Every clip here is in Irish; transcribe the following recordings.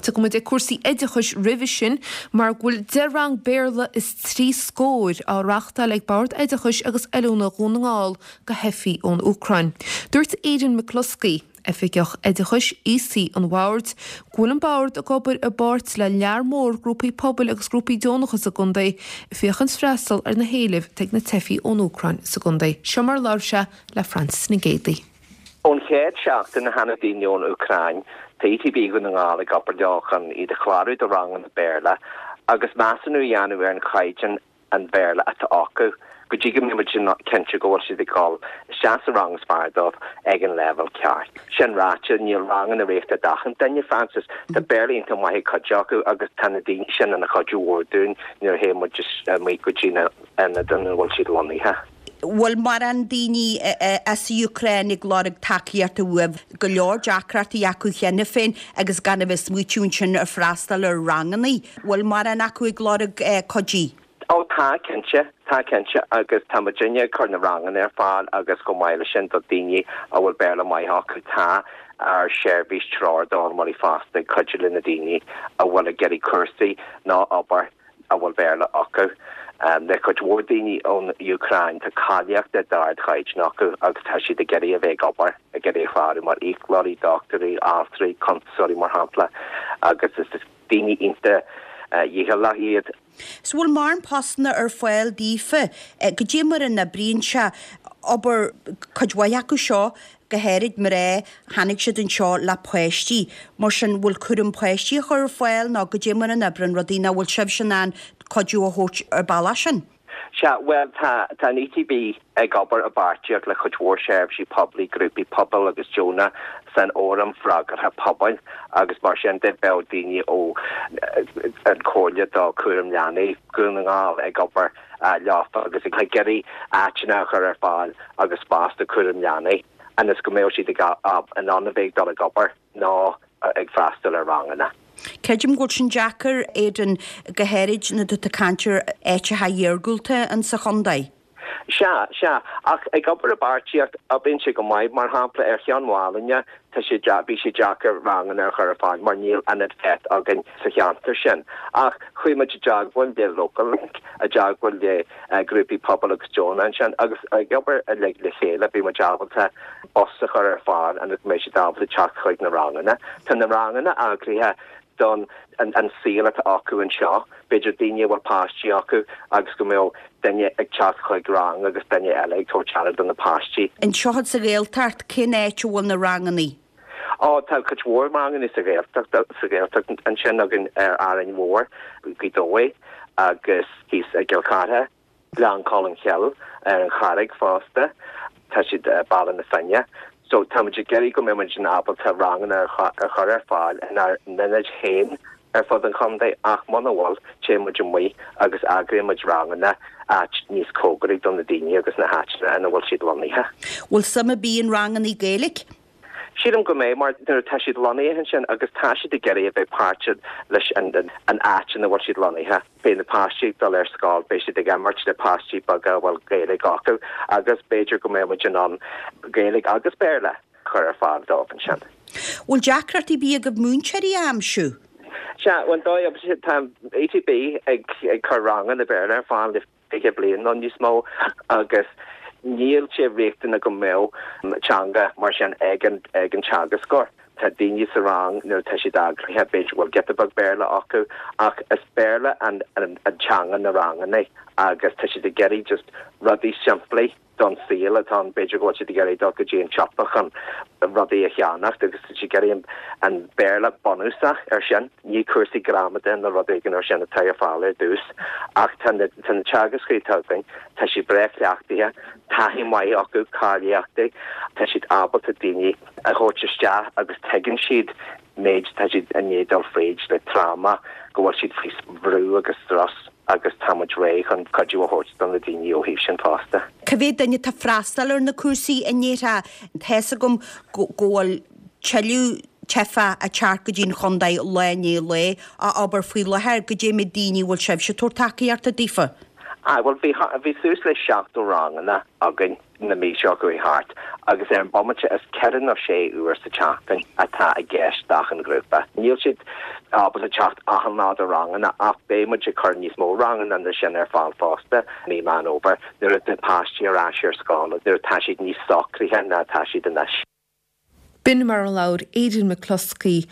tiocfaidh muid ag cúrsaí oideachais roimhe sin mar go bhfuil 10 rang Béarla is 3 scór á reachtáil ag Bord Oideachais agus Oiliúna Dhún na nGall do theifigh ón Úcráin. Dúirt Aidan McCluskey, Oifigeach Oideachais Aosaigh an Bhoird, go bhfuil an Bord ag obair i bpáirt le lear mór grúpaí pobail agus grúpaí deonacha sa gcontae ag féachaint freastal ar na héilimh atá ag na teifigh ón Úcráin sa gcontae. Seo mar a labhair sé le Frances Nic Géadaigh. Ón chéad seachtain a tháinig daoine ón Úcráin, tá ETB Dhún na nGall ag obair leo chun iad a chlárú do ranganna Béarla agus measúnú a dhéanamh ar an chaighdeán an Bhéarla atá acu, go dtí go mbeidh muid cinnte go bhfuil siad ag dul isteach sa rang is fearr dóibh ag an leibhéal ceart. Sin ráite, níl ranganna riachtanach d'achan duine, Frances. Tá Béarla iontach maith ag cuid acu agus tá na daoine sin ina chuidiú mhór dúinn nuair a théann muid amuigh go dtí na hionaid ina bhfuil siad lonnaithe. Bhfuil mórán daoine as an Úcráin ag lorg tacaíochta uaibh? Go leor deacrachtaí acu cheana féin agus gan a bheith ag smaoitiú ansin ar freastal ar rangannaí. Bhfuil mórán acu ag lorg cuidí? Ó tá, cinnte. Tá cinnte agus tá muidinne ag cur na ranganna ar fáil agus chomh maith leis sin do daoine a bhfuil Béarla maith acu tá ár seirbhís Treoir d'Fhoghlaimeoirí Fásta ag cuidiú le na daoine a bhfuil ag iarraidh cúrsaí nó obair a bhfuil Béarla acu. Le cuid mhór daoine ón Úcráin, tá cáilíochtaí d'ardchaighdeán acu agus tá siad ag iarraidh a bheith ag obair, ag iarraidh a chlárú mar fhiaclóirí, dochtúirí, altraí, cuntasóirí mar shampla agus is daoine iontach dícheallach iad. 'S bhfuil mórán postanna ar fáil daofa? Goidé mar a n-oibríonn sé? Abair, cuid mhaith acu seo, go háirid mná, tháinig siad anseo le páistí. Mar sin, bhfuil cúram páistí á chur ar fáil nó goidé mar a n-oibríonn rudaí nó bhfuil sibhse in ann cuidiú a thabhairt ar bealach sin? Sea, bhuel, tá, tá an ETB ag obair i bpáirtíocht le cuid mhór seirbhísí poiblí, grúpaí pobail agus deonach san Fhóram Freagartha Pobail agus mar sin de bheadh daoine ó an Chomhairle do Chúram Leanaí Dhún na nGall ag obair leofa agus ag iarraidh áiteanna a chur ar fáil agus spás do chúram leanaí ionas go mbeadh siad in ann a bheith ag dul ag obair nó ag freastal ar ranganna. Creidim go bhfuil sin deacair, Aidan, go háirid nuair atá tú ag caint ar áiteacha iargúlta insa chontae. Sea, sea. Ach ag obair i bpáirtíocht, oibríonn sé go maith. Mar shampla, ar Cheann Mhálainne, tá sé, bhí sé deacair ranganna a chur ar fáil mar níl ionad FET againn sa cheantar sin. Ach chuaigh muid i dteagmháil le Local Link, i dteagmháil le grúpaí pobail agus deonacha ansin agus ag obair uilig le chéile bhí muid ábalta bus a chur ar fáil ionas go mbeidh siad ábalta teacht chuig na ranganna. Tá na ranganna eagraithe don an saol atá acu anseo, b'fhéidir daoine a bhfuil páistí acu agus go mbeadh duine ag teacht chuig rang agus duine eile ag tabhairt aire do na páistí. Anseo sa Ghaeltacht, cén áit a bhfuil na rangannaí? Ó, tá cuid mhór ranganna sa Ghaeltacht, sa Ghaeltacht ansin againn ar Árainn Mhór, Gaoth Dobhair agus thíos i gCill Chartha. Gleann Cholm Cille ar an Charraig fosta. Tá siad i Baile na Finne. So tá muid ag iarraidh go mbeidh muid in ábalta ranganna a chur ar fáil inár n-ionaid féin ar fud an chontae ach muna bhfuil, téann muid amuigh agus eagraíonn muid ranganna áit níos cóngaraí do na daoine agus na háiteanna ina bhfuil siad lonnaithe. Bhfuil suim ar bith in rangannaí Gaeilge? Sílim go mbeidh, mar nuair atá siad lonnaithe ansin agus tá siad ag iarraidh a bheith páirteach leis an áit ina bhfuil siad lonnaithe. Beidh na páistí ag dul ar scoil, beidh siad ag imirt le páistí beaga a bhfuil Gaeilge acu agus b'fhéidir go mbeidh muid in ann Gaeilge agus Béarla a chur ar fáil dóibh ansin. Bhfuil deacrachtaí ar bith agaibh múinteoirí a aimsiú? Sea, bhuel, dóigh, tá ETB ag cur ranganna Béarla ar fáil le 20 bliain nó níos mó agus níl sé riachtanach go mbeadh teanga mar sin ag an ag an teagascóir. Tá daoine sa rang nuair atá siad eagraithe, b'fhéidir go bhfuil giota beag Béarla acu ach is Béarla an an teanga na ranganna agus tá siad ag iarraidh just rudaí simplí don saol atá ann. B'fhéidir go bhfuil siad ag iarraidh dul go dtí an tsiopa chun rudaí a cheannacht agus tá siad ag iarraidh an Béarla bunúsach ar sin. Ní cúrsaí gramadaí nó rud éigin ar sin atá ar fáil ar dtús ach tá na tá na teagascóirí atá againn, tá siad breá cleachtaithe, taithí maith acu, cáilíochtaí, tá siad ábalta daoine a thabhairt isteach agus tuigeann siad méid atá siad i ndiaidh dul fríd le tráma, go bhfuil siad faoi bhrú agus strus agus tá muid réidh chun cuidiú a thabhairt do na daoine ó thaobh sin fosta. Cá mhéad duine atá ag freastal ar na cúrsaí i ndéarfá? Tá's agam go bhfuil tuilleadh teifeach ag teacht go dtí an chontae lá i ndiaidh lae, abair faoi láthair, goidé méid daoine a bhfuil sibhse ag tabhairt tacaíochta daofa? Aye, bhuel bhí, bhí suas le 70 ranganna againn. Na mí seo chuaigh thart, agus ar an bomaite is 4 nó 6 uair sa tseachtain atá i gceist d'achan ghrúpa. Níl siad ábalta teacht achan lá do ranganna ach beidh muid ag cur níos mó ranganna ná sin ar fáil fosta mí Meán Fhómhair nuair atá páistí ar ais ar scoil nuair atá siad níos socraithe ná atá siad anois. B'in mar a labhair Aidan McCloskey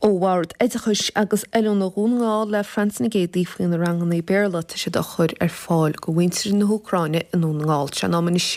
ó Bhord Oideachais agus Oiliúna Dhún na nGall le Francie Nic Géadaigh faoi na ranganna Béarla atá siad a chur ar fáil go mhuintir na hÚcráine i nDún na nGall. Sé an am anois.